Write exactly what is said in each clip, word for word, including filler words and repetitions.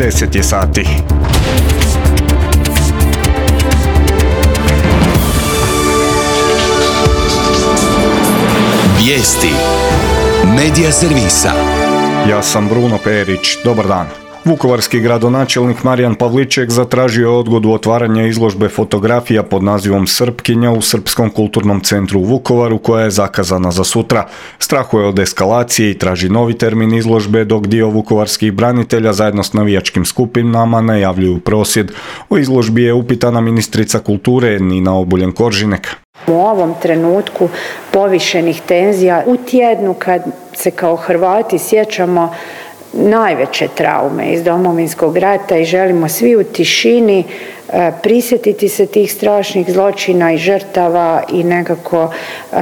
deset je sati. Vijesti Medija servisa. Ja sam Bruno Perić, dobar dan. Vukovarski gradonačelnik Marijan Pavliček zatražio je odgodu otvaranja izložbe fotografija pod nazivom Srpkinja u Srpskom kulturnom centru u Vukovaru, koja je zakazana za sutra. Strahuje od eskalacije i traži novi termin izložbe, dok dio vukovarskih branitelja zajedno s navijačkim skupinama najavljuju prosvjed. O izložbi je upitana ministrica kulture Nina Obuljen Koržinek. U ovom trenutku povišenih tenzija, u tjednu kad se kao Hrvati sjećamo najveće traume iz Domovinskog rata i želimo svi u tišini e, prisjetiti se tih strašnih zločina i žrtava i nekako e,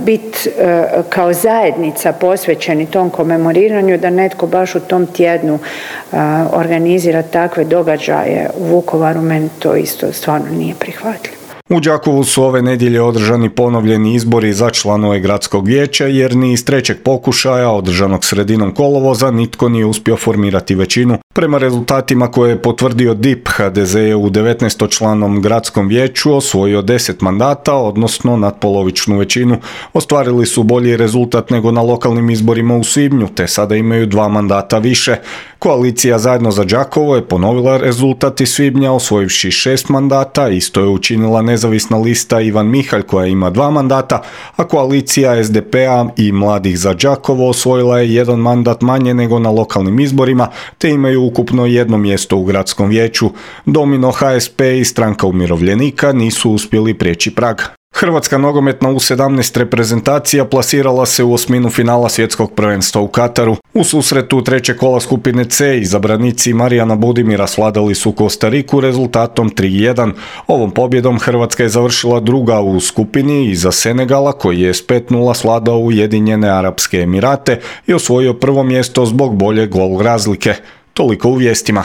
biti e, kao zajednica posvećeni tom komemoriranju, da netko baš u tom tjednu e, organizira takve događaje u Vukovaru, meni to isto stvarno nije prihvatljivo. U Đakovu su ove nedjelje održani ponovljeni izbori za članove gradskog vijeća, jer ni iz trećeg pokušaja, održanog sredinom kolovoza, nitko nije uspio formirati većinu. Prema rezultatima koje je potvrdio D I P, H D Z je u devetnaestočlanom gradskom vijeću osvojio deset mandata, odnosno natpolovičnu većinu. Ostvarili su bolji rezultat nego na lokalnim izborima u svibnju, te sada imaju dva mandata više. Koalicija Zajedno za Đakovo je ponovila rezultat iz svibnja, osvojivši šest mandata, isto je učinila nezavisna lista Ivan Mihalj koja ima dva mandata, a koalicija S D P-a i Mladih za Đakovo osvojila je jedan mandat manje nego na lokalnim izborima, te imaju ukupno jedno mjesto u gradskom vijeću. Domino, H S P i Stranka umirovljenika nisu uspjeli prijeći prag. Hrvatska nogometna U sedamnaest reprezentacija plasirala se u osminu finala svjetskog prvenstva u Kataru. U susretu trećeg kola skupine C izabranici Marijana Budimira svladali su Kostariku rezultatom tri jedan. Ovom pobjedom Hrvatska je završila druga u skupini iza Senegala, koji je s pet nula svladao Ujedinjene Arapske Emirate i osvojio prvo mjesto zbog bolje gol razlike. Toliko u vijestima.